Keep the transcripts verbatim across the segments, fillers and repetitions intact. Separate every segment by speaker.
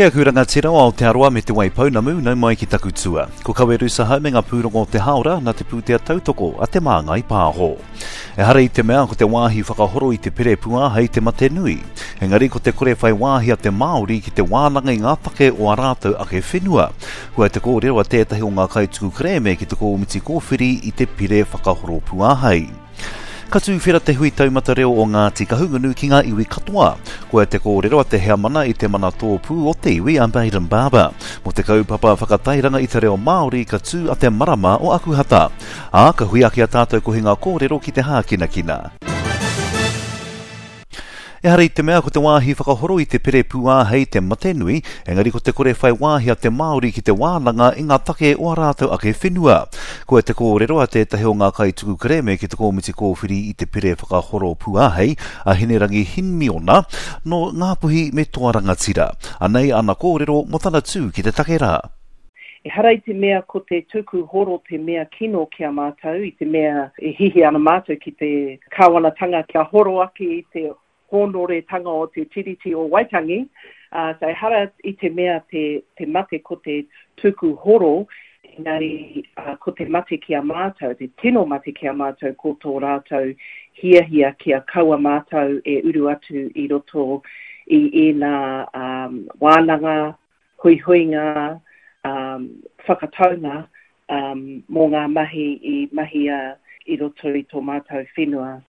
Speaker 1: Ki aku rangatira o Aotearoa me Te Waipounamu, nau mai ki taku tua. Ko Kaweru Sahau me ngā pūrongo o te hāora nā te pūtea tautoko a Te Māngai Pāho. Ehara i te mea ko te wāhi whakahoro i te pire pūāhei te mate nui. Engari ko te kore whai wāhi a te Māori ki te wānanga i ngā take o ā rātou ake whenua. Kua te kōrero a tētahi o ngā kaituku kerēme ki te kōmiti kōwhiri i te pire whakahoro pūāhei. Ka tūwhera te hui taumata reo o Ngāti Kahungunu ki ngā iwi katoa. Koia te kōrero a te heamana i te mana tōpū o te iwi a Bayden Barber. Mō te kaupapa whakatairanga i te reo Māori ka tū a te marama o Akuhata. Ā, ka hui ake a tātou kohinga kōrero ki te hākinakina. Ehara i te mea ko te wāhi whakahoro i te pire pūāhei te mate nui, engari ko te kore whai wāhi a te Māori ki te wānanga i ngā take o ā rātou ake whenua. Koia te kōrero a tētahi o ngā kaituku kerēme ki te kōmiti kōwhiri i te pire whakahoro pūāhei, a Hinerangi Himiona, nō Ngāpuhi me Toa Rangatira. Anei ana kōrero mō tana tū ki te take rā.
Speaker 2: Ehara i te mea ko te tuku horo te mea kino ki a mātou, i te mea e hihi ana mātou ki te kāwanatanga kia horo ake i te hōnoretanga o te Tiriti o Waitangi, uh, so ehara i te mea te, te mate ko te tuku horo, engari uh, ko te mate ki a mātou, te tino mate ki a mātou ko tō rātou hiahia kia kaua mātou e uru atu i roto i ēnā um, wānanga, huihuinga, um, whakataunga um, mō ngā mahi i mahia i roto i tō mātou whenua.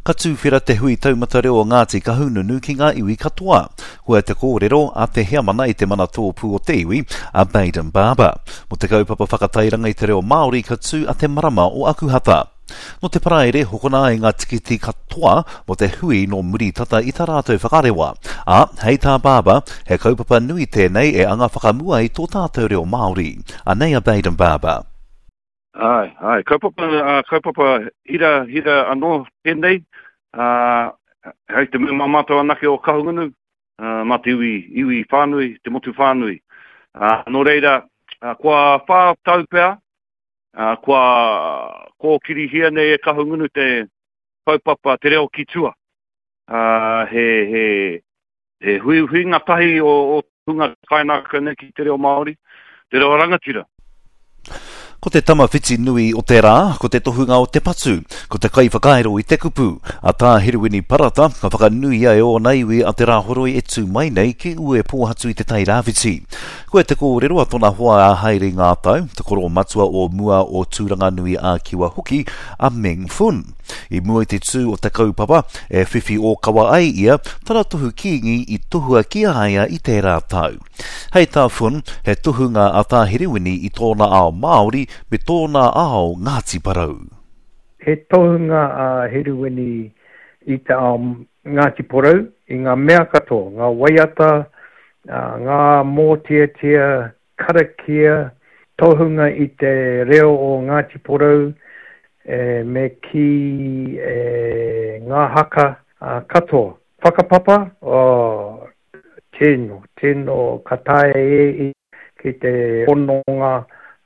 Speaker 1: Ka tūwhera te hui taumata reo o Ngāti Kahungunu ki ngā iwi katoa. Koia te kōrero a te heamana i te mana tōpū o te iwi, a Bayden Barber. Mō te kaupapa whakatairanga i te reo Māori ka tū a te marama o Akuhata. Nō te Paraire, hokona ai ngā tikiti katoa mō te hui nō muri tata i tā rātou whakarewa. Ā, hei tā Barber, he kaupapa nui tēnei e anga whakamua i tō tātou reo Māori. Anei a Bayden Barber.
Speaker 3: Ai, ai, kaupapa, uh, kaupapa hira, hira anō tēnei, uh, hei te mea mā mātou anake o Kahungunu, uh, mā te iwi, iwi whānui, te motu whānui. Uh, nō reira, uh, kua whā tau pea, uh, kua kōkirihia nei e Kahungunu te kaupapa te reo ki tua. Uh, he, he, he huihuinga tahi o, o hunga kainākau nei ki te reo Māori, te reo rangatira.
Speaker 1: Ko te tama whiti nui o te rā, ko te tohunga o te patu, ko te kaiwhakairo i te kupu, a tā Herewini Parata, ka whakanuia e ōna iwi a Te Rāhoroi e tū mai nei ki Uepōhatu i Te Tairāwhiti. Koia te kōrero a tōna hoa a Haere Ngātau, te koro matua o mua o Tūranganui a Kiwa hoki, a Meng Fun. I mua i te tū o te kaupapa, e whiwhi ōkawa ai ia, tana tohu kīngi i tohua ki a ia i tērā tau. Hei tā Fun, he tohunga a tā Herewini i tōna ao Māori me tōna ao Ngāti Porou.
Speaker 4: He tohunga a Herewini i te ao Ngāti Porou, i ngā mea katoa, ngā waiata, ngā mōteatea, karakia, tohunga i te reo o Ngāti Porou, e, me ki e, ngā haka a, katoa. Whakapapa, oh, tino, tino ka taea e i ki te hononga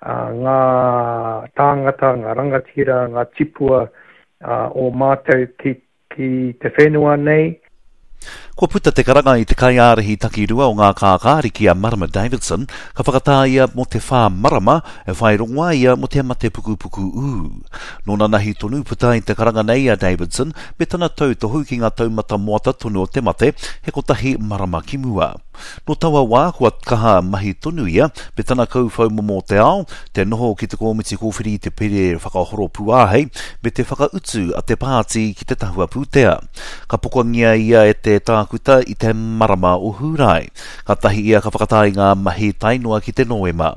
Speaker 4: uh, ngā tāngata, ngā rangatira, ngā tipua uh, o mātou ki, ki te whenua nei.
Speaker 1: Kua puta te karanga i te kaiārahi takirua o ngā kākāriki a Marama Davidson, ka whakatā ia mō te whā marama e whai rongoā ia mō te mate pukupuku ū. Nō nanahi tonu puta i te karanga nei a Davidson me tana tautohu ki ngā taumata moata tonu o te mate, he kotahi marama ki mua. Nō taua wā, kua kaha mahi tonu ia me tana kauwhau momo o te ao, te noho ki te kōmiti kōwhiri i te pire whakahoro pūāhei me te whakautu a te pāti ki te tahua pūtea. Ka pokangia ia e te tākuta i te marama o Hūrae. Ka tahi ia ka whakatā i ngā mahi tae noa ki te Noema.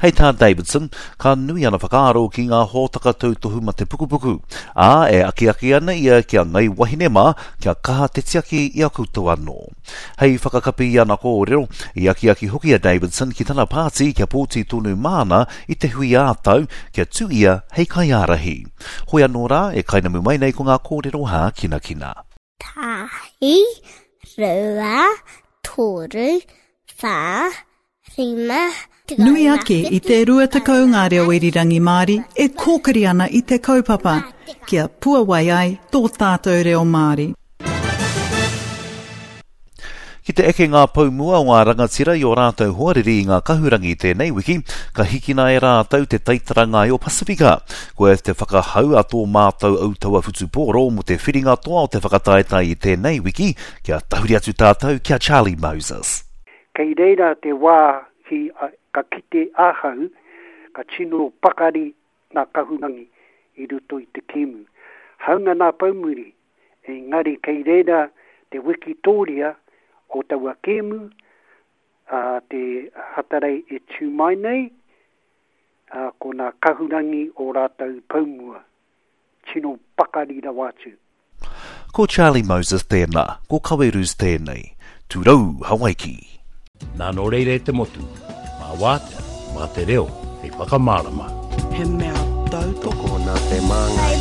Speaker 1: Hei tā Davidson, ka nui ana whakaaro ki ngā hōtaka tautohu mate pukupuku, ā, e akiaki ana ia kia ngai wahine mā, kia kaha te tiaki i a koutou anō. Hei whakakapi i ana kōrero, i akiaki hoki a Davidson ki tana pāti kia pōti tonu māna i te hui ā-tau kia tū ia hei kaiārahi. Hoi anō rā, e kainamu mai nei ko ngā kōrero hākinakina.
Speaker 5: Tahi, rua, toru, whā, rima,
Speaker 6: Nui ake i te rua tekau ngā reo irirangi Māori e kōkiri ana i te kaupapa, kia puawai ai tō tātou reo Māori.
Speaker 1: Ki te eke ngā pou mua o ngā rangatira i o rātou hoariri i ngā kahurangi tēnei wiki, ka hikina e rātou te taitara ngai o Pasifika. Koe te whakahau a tō mātou autaua whutupōro mo te whiringa toa o te whakataetae i tēnei wiki, kia tahuri atu tātou kia Charlie Moses.
Speaker 7: Kei reira te wā ki, ka kite ahau, ka tino pakari nā kahurangi i roto i te kēmu. Haunga nā poumuri, engari kei reira te wikitoria o taua kēmu, a te Hatarei e tū mai nei, a, ko nā kahurangi o rātou poumua. Tino pakari rawa atu.
Speaker 1: Ko Charlie Moses tēnā, ko Kawerus tēnei. Tūrau, Hawaiki.
Speaker 8: Nā nō reira e te motu, mā wātea, mā te reo, hei whakamārama.
Speaker 9: He mea tautoko
Speaker 10: Tokona te māngai.